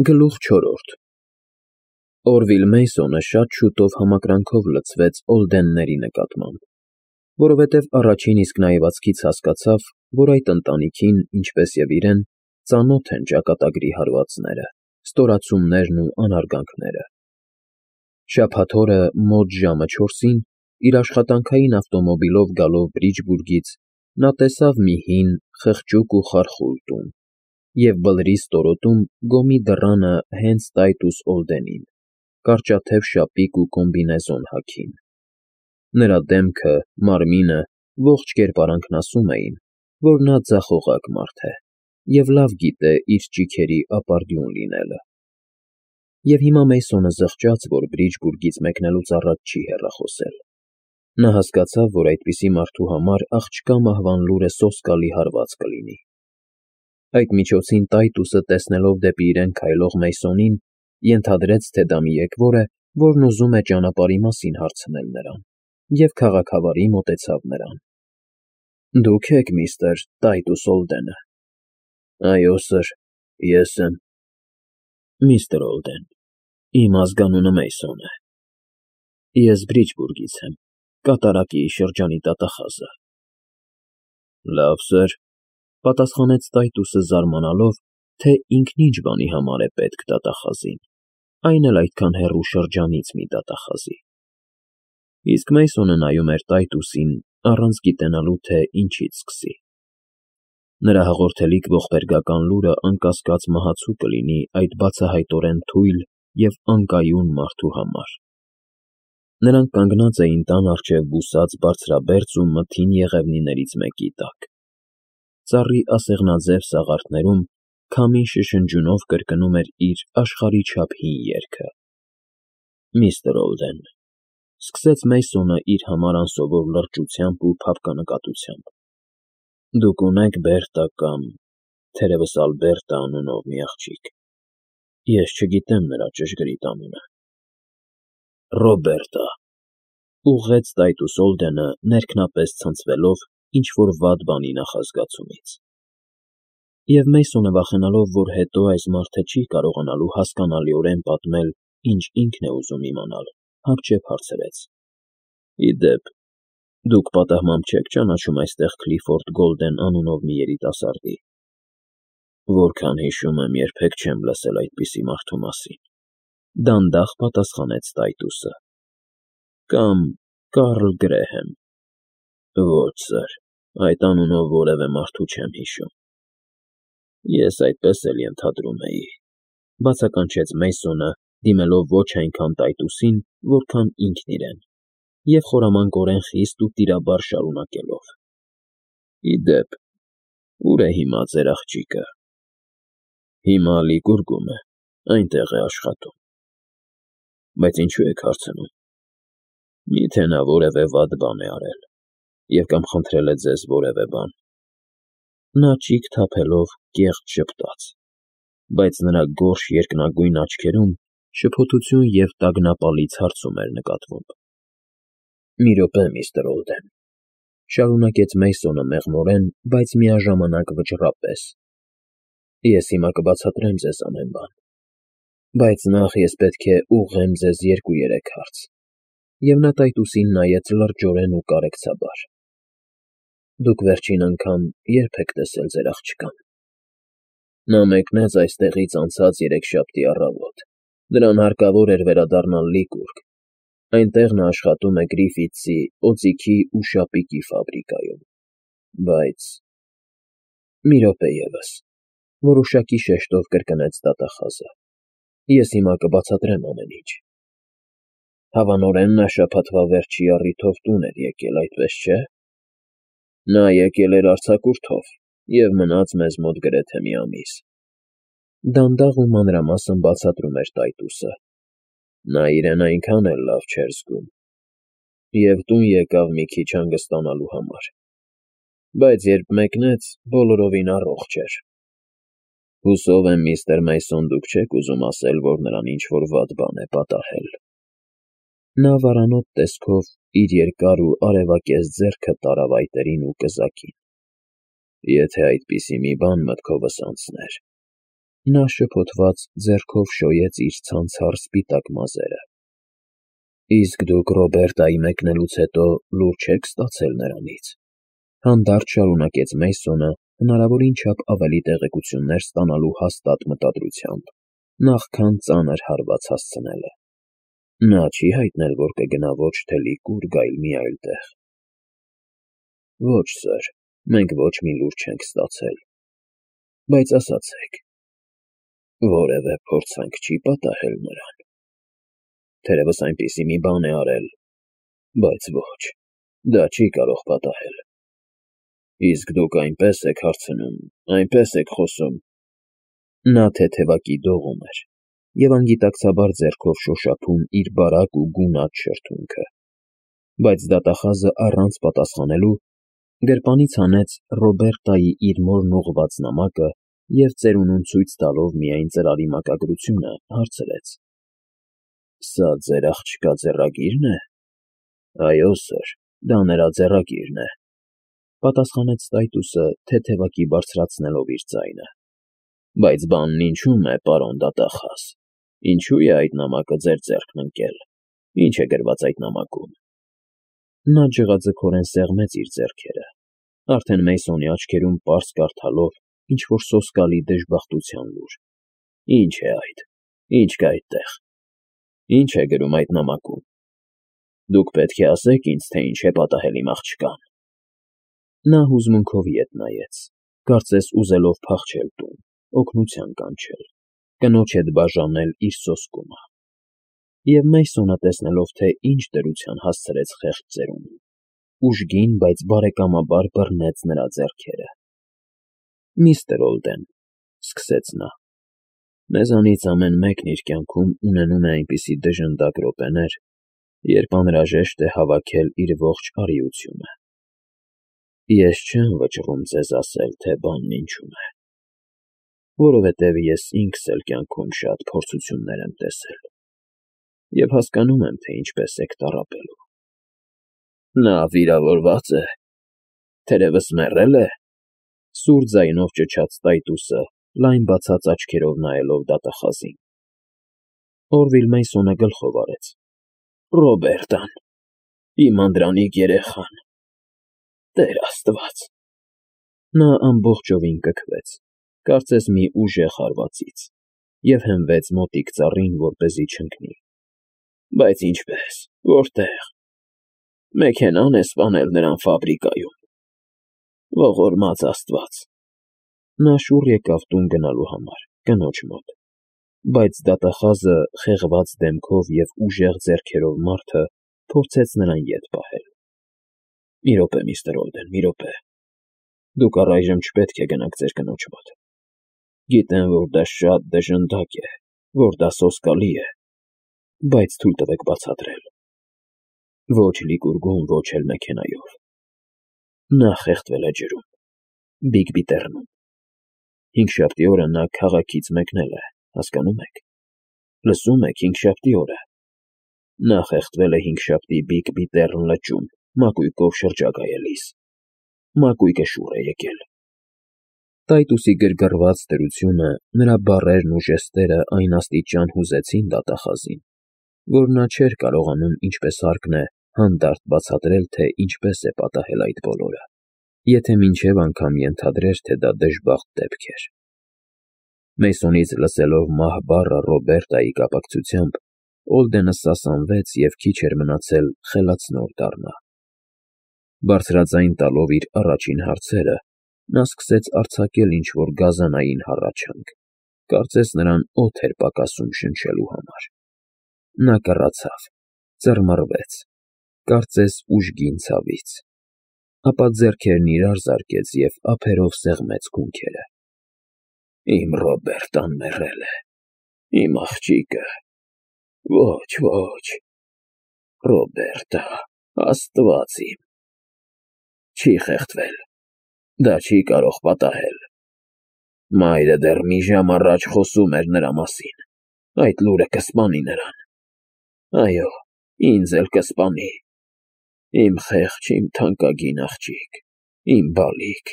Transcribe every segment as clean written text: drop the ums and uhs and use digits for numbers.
Գլուխ 4 Օրվիլ Մեյսոնը շատ շուտով համակրանքով լցվեց Օլդենների նկատմամբ, որովհետև առաջին իսկ նայվածքից հասկացավ, որ այդ ընտանիքին, ինչպես և իրեն, ծանոթ են ճակատագրի հարվածները, ստորացումներն ու անարգանքները։ Շաբաթ օրը մոտ ժամը 4-ին, իր աշխատանքային ավտոմոբիլով գալով Բրիջբուրգից, նա տեսավ մի հին, խղճուկ ու խարխուլ տուն և բլրի ստորոտում գոմի դռանը հենց Տայտուս Օլդենին, կարճաթև շապիկ ու կոմբինեզոն հագին։ Նրա դեմքը, մարմինը, ողջ կերպարանքն ասում էին, որ նա ձախողակ մարդ է և լավ գիտե իր ճիգերի ապարդյուն լինելը։ Եվ հիմա Մեյսոնը զղջաց, որ Բրիջբուրգից մեկնելուց առաջ չի հեռախոսել։ Նա հասկացավ, որ այդպիսի մարդու համար աղջկա մահվան լուրը սոսկալի հարված կլինի։ Այդ միջոցին Տայտուսը, տեսնելով դեպի իրեն քայլող Մեյսոնին, ենթադրեց, թե դա մի եկվոր է, որն ուզում է ճանապարհի մասին հարցնել նրան, և քաղաքավարի մոտեցավ նրան։ Դուք եք միստր Տայտուս Օլդենը։ Այո, սըր, ես եմ։ Միստր Օլդեն, իմ ազգանունը Մեյսոն է։ Ես Բրիջբուրգից եմ, կատարակի շրջանի դատախազը։ Լավ, սըր, պատասխանեց Տայտուսը, զարմանալով, թե ինքն ինչ բանի համար է պետք դատախազին, այն էլ այդքան հեռու շրջանից մի դատախազի։ Իսկ Մեյսոնը նայում էր Տայտուսին, առանց գիտենալու, թե ինչից սկսի։ Նրա հաղորդելիք ողբերգական լուրը անկասկած մահացու կլինի այդ բացահայտորեն թույլ և անկայուն մարդու համար։ Նրանք կանգնած էին տան առջև բուսած բարձրաբերձ ու մթին եղևնիներից մեկի տակ։ Ծառի ասեղնաձև սաղարթներում քամին շշնջյունով կրկնում էր իր աշխարհի չափ հին երգը։ Միստր Օլդեն, սկսեց Մեյսոնը իր համար անսովոր լրջությամբ ու փափկանկատությամբ, դուք ունեք Բերտա կամ, թերևս Ալբերտա անունով մի աղջիկ։ Ես չգիտեմ նրա ճշգրիտ անունը։ Ռոբերտա, ուղղեց Տայտուս Օլդենը, ներքնապես ցնցվելով ինչ-որ վատ բանի նախազգացումից։ Եվ Մեյսոնը, վախենալով, որ հետո այս մարդը չի կարողանալու հասկանալիորեն պատմել, ինչ ինքն է ուզում իմանալ, հապճեպ հարցրեց. Ի դեպ, դուք պատահմամբ չեք ճանաչում այստեղ Քլիֆորդ Գոլդեն անունով մի երիտասարդի։ Որքան հիշում եմ, երբեք չեմ լսել այդպիսի մարդու մասին։ Դանդաղ պատասխանեց Տայտուսը։ Կամ Կարլ Գրեհեմ։ Ոչ, սըր, այդ անունով որևէ մարդու չեմ հիշում։ Ես այդպես էլ ենթադրում էի, բացականչեց Մեյսոնը, դիմելով ոչ այնքան Տայտուսին, որքան ինքն իրեն, և խորամանկորեն խիստ ու տիրաբար շարունակելով. Ի դեպ, ուր է հիմա ձեր աղջիկը։ Հիմա Լիկուրգում է, այնտեղ է աշխատում։ Բայց ինչու եք հարցնում։ Միթե նա որևէ վատ բան է արել, և կամ խնդրել է ձեզ որևէ բան։ Նա ճիգ թափելով կեղծ ժպտաց, բայց նրա գորշ երկնագույն աչքերում շփոթություն և տագնապալից հարցում էր նկատվում։ Մի րոպե, միստր Օլդեն, շարունակեց Մեյսոնը մեղմորեն, բայց միաժամանակ վճռապես։ Ես հիմա կբացատրեմ ձեզ ամեն բան, բայց նախ ես պետք է ուղղեմ ձեզ 2-3 հարց։ Եվ նա Տայտուսին նայեց լրջորեն ու կարեկցաբար։ Դուք վերջին անգամ ե՞րբ եք տեսել ձեր աղջկան։ Նա մեկնեց այստեղից անցած երեքշաբթի առավոտ։ Նրան հարկավոր էր վերադառնալ Լիկուրգ։ Այնտեղ նա աշխատում է Գրիֆիթսի օձիքի ու շապիկի ֆաբրիկայում։ Բայց… Մի րոպե ևս, որոշակի շեշտով կրկնեց դատախազը։ Ես հիմա կբացատրեմ ամեն ինչ։ Հավանորեն նա շաբաթվա վերջի առիթով տուն էր եկել, այդպես չէ։ Նա եկել էր արձակուրդով և մնաց մեզ մոտ գրեթե մի ամիս։ Դանդաղ ու մանրամասն բացատրում էր Տայտուսը։ Նա իրեն այնքան էլ լավ չէր զգում։ Եվ տուն եկավ մի քիչ հանգստանալու համար։ Բայց երբ մեկնեց, բոլորովին առողջ էր։ Հուսով եմ, միստր Մեյսոն, դուք չեք ուզում ասել, որ նրան ինչ-որ վատ բան է պատահել։ Նա վարանոտ տեսքով իր երկար ու արևակեզ ձեռքը տարավ այտերին ու կզակին։ Եթե այդպիսի մի բան մտքովս անցներ։ Նա շփոթված ձեռքով շոյեց իր ցանցառ սպիտակ մազերը։ Իսկ դուք Ռոբերտայի մեկնելուց հետո լուր չեք ստացել նրանից, հանդարտ շարունակեց Մեյսոնը, հնարավորին չափ ավելի տեղեկություններ ստանալու հաստատ մտադրությամբ, նախքան ծանր հարված հասցնելը։ Նա չի հայտնել, որ կգնա ոչ թե լիք ուր գայլ մի այլ տեղ։ Ոչ, սըր, մենք ոչ մի լուր չենք ստացել, բայց ասացեք, որևէ փորձանք չի պատահել նրան։ Թերևս այնպիսի մի բան է արել, բայց ոչ, դա չի կարող պատահել։ Իսկ դուք այնպես եք հարցնում, այնպես եք խոսում։ Նա թեթևակի դողում էր և անգիտակցաբար ձեռքով շոշափում իր բարակ ու գունատ շրթունքը, բայց դատախազը առանց պատասխանելու գրպանից հանեց Ռոբերտայի իր մորն ուղղված նամակը և ծերունուն ցույց տալով միայն ծրարի մակագրությունը, հարցրեց. Սա ձեր աղջկա ձեռագի՞րն է։ Այո, սըր, դա նրա ձեռագիրն է, պատասխանեց Տայտուսը, թեթևակի բարձրացնելով իր ձայնը։ Բայց բանն ինչու՞մ է, պարոն դատախազ, ինչու է այդ նամակը ձեր ձեռքն ընկել, ինչ է գրված այդ նամակում։ Նա ջղաձգորեն սեղմեց իր ձեռքերը, արդեն Մեյսոնի աչքերում պարզ կարդալով ինչ-որ սոսկալի դժբախտության լուր։ Ինչ է այդ, ինչ կա այդտեղ, ինչ է գրում այդ նամակում։ Դուք պետք է ասեք ինձ, թե ինչ է պատահել իմ աղջկան։ Նա հուզմունքով ետ նայեց, կարծես ուզելով փախչել տուն, օգնության կանչել, կնոջ հետ բաժանել իր սոսկումը։ Եվ Մեյսոնը, տեսնելով, թե ինչ դրության հասցրեց խեղճ ծերունին, ուժգին, բայց բարեկամաբար բռնեց նրա ձեռքերը։ Միստր Օլդեն, սկսեց նա, մեզանից ամեն մեկն իր կյանքում ունենում է այնպիսի դժնդակ րոպեներ, երբ անհրաժեշտ է հավաքել իր ողջ արիությունը։ Ես չեմ վճռում ձեզ ասել, թե բանն ինչում է, որովհետև ես ինքս էլ կյանքում շատ փորձություններ եմ տեսել և հասկանում եմ, թե ինչպես եք տառապելու։ Նա վիրավորվա՞ծ է, թերևս մեռե՞լ է, սուր ձայնով ճչաց Տայտուսը, լայն բացած աչքերով նայելով դատախազին։ Օրվիլ Մեյսոնը գլխով արեց. Ռոբերտան, իմ անդրանիկ երեխան, Տեր Աստված։ Նա ամբողջովին կքվեց, կարծես մի ուժեղ հարվածից, և հենվեց մոտիկ ծառին, որպեսզի չընկնի։ Բայց ինչպես, որտեղ։ Մեքենա՞ն է սպանել նրան ֆաբրիկայում։ Ողորմած Աստված։ Նա շուռ եկավ տուն գնալու համար, կնոջ մոտ, բայց դատախազը, խեղված դեմքով և ուժեղ ձեռքերով մարդը, փորձեց նրան ետ պահել։ Մի րոպե, միստր Օլդեն, մի րոպե։ Դուք առայժմ չպետք է գնաք ձեր կնոջ մոտ։ Գիտեմ, որ դա շատ դժնդակ է, որ դա սոսկալի է, բայց թույլ տվեք բացատրել։ Ոչ լիկուրգում, ոչ էլ մեքենայով։ Նա խեղդվել է ջրում, Բիգ-Բիտեռնում։ Հինգշաբթի օրը նա քաղաքից մեկնել է, հասկանո՞ւմ եք։ Լսում եք, հինգշաբթի օրը։ Նա խեղդվել է հինգշաբթի Բիգ-Բիտեռն լճում, մակույկով շրջագայելիս։ Մակույկը շուռ է եկել։ Տայտուսի գրգռված դրությունը, նրա բառերն ու ժեստերը այն աստիճան հուզեցին դատախազին, որ նա չէր կարողանում, ինչպես հարկն է, հանդարտ բացատրել, թե ինչպես է պատահել այդ բոլորը, եթե մինչև անգամ ենթադրեր, թե դա դժբախտ դեպք էր։ Մեյսոնից լսելով մահ բառը Ռոբերտայի կապակցությամբ, Օլդենը սասանվեց և քիչ էր մնացել խելացնոր դառնա։ Բարձրաձայն տալով իր առաջին հարցերը, նա սկսեց արձակել ինչ-որ գազանային հառաչանք, կարծես նրան օդ էր պակասում շնչելու համար։ Նա կռացավ, ծռմռվեց, կարծես ուժգին ցավից, ապա ձեռքերն իրար զարկեց և ափերով սեղմեց քունքերը։ Իմ Ռոբերտան մեռել է, իմ աղջիկը, ոչ, ոչ, Ռոբերտա, Աստված իմ, չի խեղդվել, դա չի կարող պատահել։ Մայրը դեռ մի ժամ առաջ խոսում էր նրա մասին, այդ լուրը կսպանի նրան։ Այո, ինձ էլ կսպանի։ Իմ խեղճ, իմ թանկագին աղջիկ, իմ բալիկ,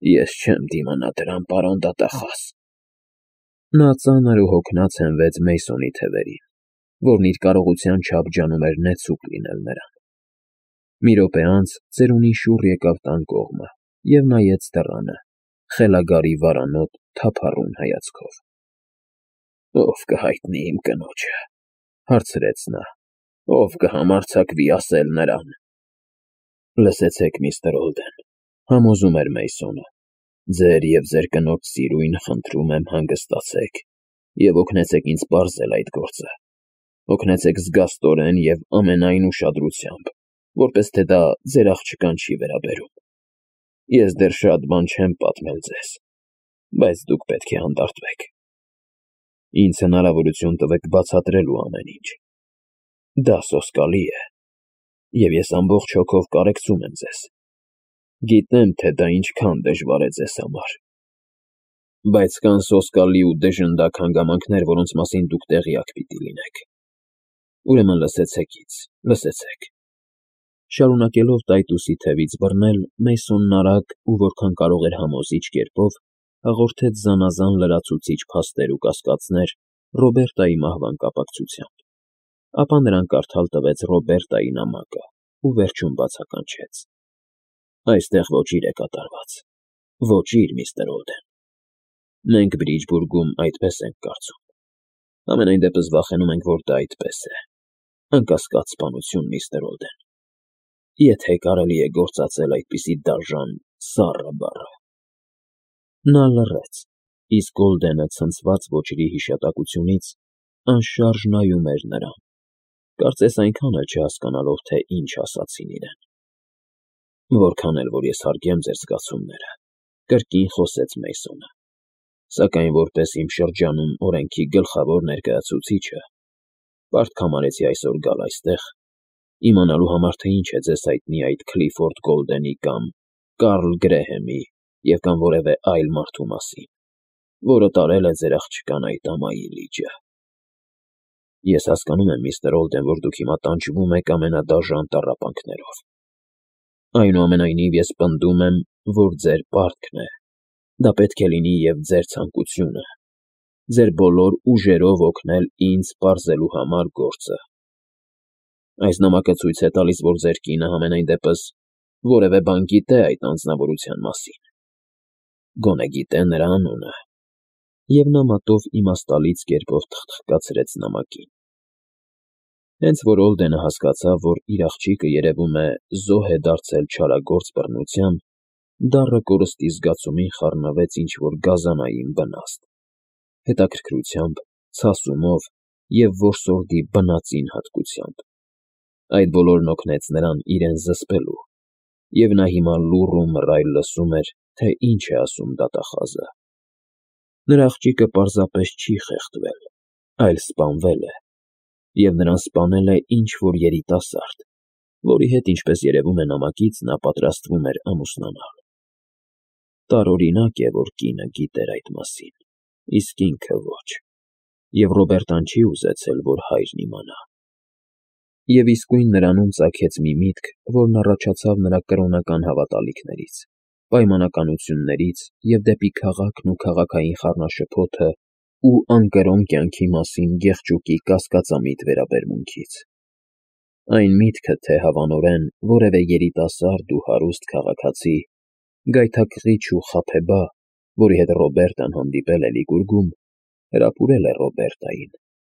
ես չեմ դիմանա դրան, պարոն դատախազ։ Նա ծանր ու հոգնած հենվեց Մեյսոնի թևերին, որն իր կարողության չափ ջանում էր նեցուկ լինել նրան։ Մի րոպե անց ծերունին շուռ եկավ տան կողմը և նայեց դռանը, խելագարի վարանոտ թափառուն հայացքով։ «Ո՞վ կհայտնի իմ կնոջը,֊ հարցրեց նա,֊ ո՞վ կհամարձակվի ասել նրան»։ «Լսեցեք, միստր Օլդեն,֊ համոզում էր Մեյսոնը,֊ ձեր և ձեր կնոջ սիրուն, խնդրում եմ, հանգստացեք և օգնեցեք ինձ պարզել այդ գործը, օգնեցեք զգաստորեն և ամենայն ուշադրությամբ, որպես թե դա ձեր աղջկան չի վերաբերում։ Ես դեռ շատ բան չեմ պատմել ձեզ, բայց դուք պետք է հանդարտվեք։ Ինձ հնարավորություն տվեք բացատրելու ամեն ինչ։ Դա սոսկալի է, և ես ամբողջ հոգով կարեկցում եմ ձեզ։ Գիտեմ, թե դա ինչքան դժվար է ձեզ համար։ Բայց կան սոսկալի ու դժնդակ հանգամանքներ, որոնց մասին դուք տեղյակ պիտի լինեք։ Ուրեմն լսեցեք ինձ, լսեցեք»։ Շարունակելով տայտուսի թևից բռնել, Մեյսոնն արագ ու որքան կարող էր համոզիչ կերպով հաղորդեց զանազան լրացուցիչ փաստեր ու կասկածներ Ռոբերտայի մահվան կապակցությամբ, ապա նրան կարդալ տվեց Ռոբերտայի նամակը ու վերջում բացականչեց. «Այստեղ ոճիր է կատարված, ոճիր, միստր Օլդեն։ Մենք Բրիջբուրգում այդպես ենք կարծում, համենայն դեպս վախենում ենք, որ դա այդպես է։ Անկասկած սպանություն, միստր Օլդեն, եթե կարելի է գործածել այդպիսի դաժան սառը բառը»։ Նա լռեց, իսկ Օլդենը ցնցված ոճրի հիշատակությունից անշարժ նայում էր նրան, կարծես այնքան էլ չհասկանալով, թե ինչ ասացին իրեն։ «Որքան էլ որ ես հարգեմ ձեր զգացումները,֊ կրկին խոսեց Մեյսոնը,֊ սակայն որպես իմ շրջանում օրենքի գլխավոր ներկայացուցիչը պարտք համարեցի այսօր գալ այստեղ, իմանալու համար, թե ինչ է ձեզ հայտնի այդ Քլիֆորդ Գոլդենի կամ Կարլ Գրեհեմի և կամ որևէ այլ մարդու մասին, որը տարել է ձեր աղջկան այդ ամայի լիճը։ Ես հասկանում եմ, միստր Օլդեն, որ դուք հիմա տանջվում եք ամենադաժան տառապանքներով։ Այնուամենայնիվ ես պնդում եմ, որ ձեր պարտքն է, դա պետք է լինի և ձեր ցանկությունը, ձեր բոլոր ուժերով օգնել ինձ պարզելու համար գործը։ Այս նամակը ցույց է տալիս, որ ձեր կինը համենայն դեպս որևէ բան գիտե այդ անձնավորության մասին, գոնե գիտե նրա անունը»։ Եվ նա մատով իմաստալից կերպով թխթխկացրեց նամակին։ Հենց որ Օլդենը հասկացավ, որ իր աղջիկը երևում է զոհ է դարձել չարագործ բռնության, դառը կորստի զգացումին խառնվեց ինչ-որ գազանային վնաստ, հետաքրքրությամբ, ցասումով և որսորդի բնածին հատկությամբ։ Այդ բոլորն օգնեց նրան իրեն զսպելու, և նա հիմա լուռ ու մռայլ լսում էր, թե ինչ է ասում դատախազը։ Նրա աղջիկը պարզապես չի խեղդվել, այլ սպանվել է, և նրան սպանել է ինչ-որ երիտասարդ, որի հետ, ինչպես երևում է նամակից, նա պատրաստվում էր ամուսնանալ։ Տարօրինակ է, որ կինը գիտեր այդ մասին, իսկ ինքը ոչ, և Ռոբերտան չի ուզեցել, որ հայրն իմանա։ Եվ իսկույն նրանում ծագեց մի միտք, որն առաջացավ նրա կրոնական հավատալիքներից, պայմանականություններից և դեպի քաղաքն ու քաղաքային խառնաշփոթը ու անկրոն կյանքի մասին գեղճուկի կասկածամիտ վերաբերմունքից։ Այն միտքը, թե հավանորեն որևէ երիտասարդ ու հարուստ քաղաքացի, գայթակղիչ ու խաբեբա, որի հետ Ռոբերտան հանդիպել է Լիգուրգում, հրապուրել է Ռոբերտային,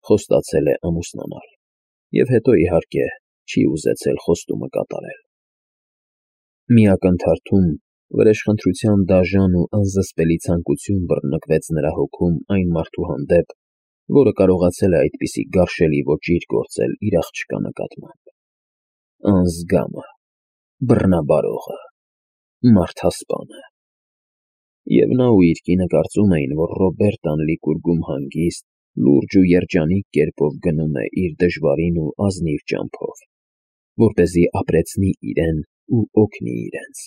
խոստացել է ամուսնանալ, և հետո, իհարկե, չի ուզեցել խոստումը կատարել։ Մի ակնթարթում վրեժխնդրության դաժան ու անզսպելի ցանկություն բռնկվեց նրա հոգում այն մարդու հանդեպ, որը կարողացել է այդպիսի գարշելի ոճիր գործել իր աղջկա նկատմամբ։ Անզգամը, բռնաբարողը, մարդասպանը։ Եվ նա ու իր կինը կարծում էին, որ Ռոբերտան Լիգուրգում հանգիստ, լուրջ ու երջանիկ կերպով գնում է իր դժվարին ու ազնիվ ճամփով, որպեսզի ապրեցնի իրեն ու օգնի իրենց։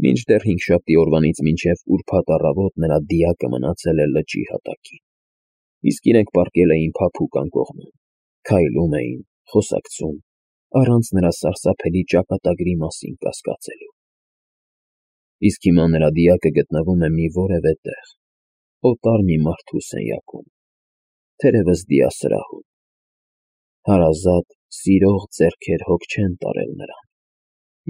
Մինչդեռ հինգշաբթի օրվանից մինչև ուրբաթ առավոտ նրա դիակը մնացել է լճի հատակին, իսկ իրենք պառկել էին փափուկ անկողնում, քայլում էին, խոսակցում, առանց նրա սարսափելի ճակատագրի մասին կասկածելու։ Իսկ հիմա նրա դիակը գտնվում է մի որևէ տեղ, օտար մի մարդու սենյակում, թերևս դիասրահում, հարազատ, սիրող ձեռքեր հոգ չեն տարել նրան,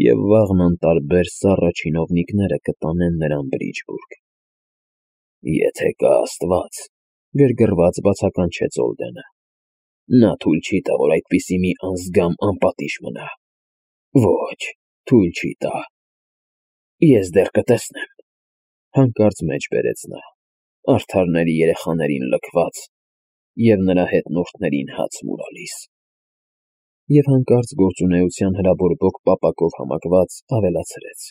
և վաղն անտարբեր սառը չինովնիկները կտանեն նրան Բրիջբուրգ։ Եթե կա Աստված, գրգռված բացականչեց Օլդենը, նա թույլ չի տա, որ այդպիսի մի անզգամ անպատիժ մնա։ Ոչ, թույլ չի տա։ Ես դեռ կտեսնեմ, հանկարծ մեջ բերեց նա, արդարների երեխաներին լքված և նրա հետնորդներին հաց մուրալիս։ Եվ հանկարծ գործունեության հրաբորբոք պապակով համակված ավելացրեց.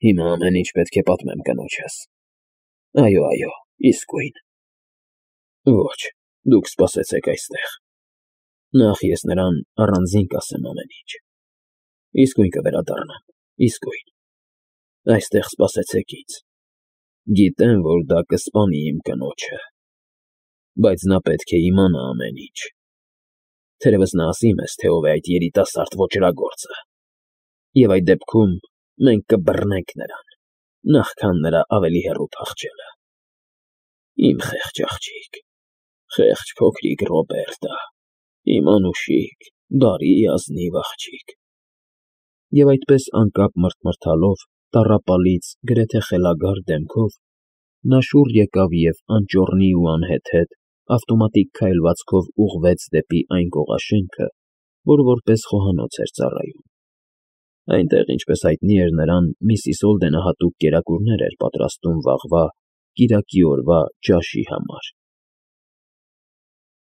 Հիմա ամեն ինչ պետք է պատմեմ կնոջս։ Այո, իսկույն։ Ոչ, դուք սպասեցեք այստեղ։ Նախ ես նրան առանձին կասեմ ամեն ինչ։ Իսկույն կվերադառնամ, իսկույն։ Այստեղ սպասեցեք ինձ։ Գիտեմ, որ դա կսպանի իմ կնոջը, բայց նա պետք է իմանա ամեն ինչ։ Թերևս նա ասի մեզ, թե ով է այդ երիտասարդ ոճրագործը, և այդ դեպքում մենք կբռնենք նրան, նախքան նրա ավելի հեռու փախչելը։ Իմ խեղճ աղջիկ, խեղճ փոքրիկ Ռոբերտա, իմ անուշիկ, բարի, ազնիվ աղջիկ։ Եվ այդպես անկապ մռթմռթալով, տառապալից, գրեթե խելագար դեմքով նա շուռ եկավ և անճոռնի ու անհեթեթ, ավտոմատիկ քայլվածքով ուղղվեց դեպի այն կողաշենքը, որը որպես խոհանոց էր ծառայում։ Այնտեղ, ինչպես հայտնի էր նրան, միսիս Օլդենը հատուկ կերակուրներ էր պատրաստում վաղվա, կիրակի օրվա ճաշի համար։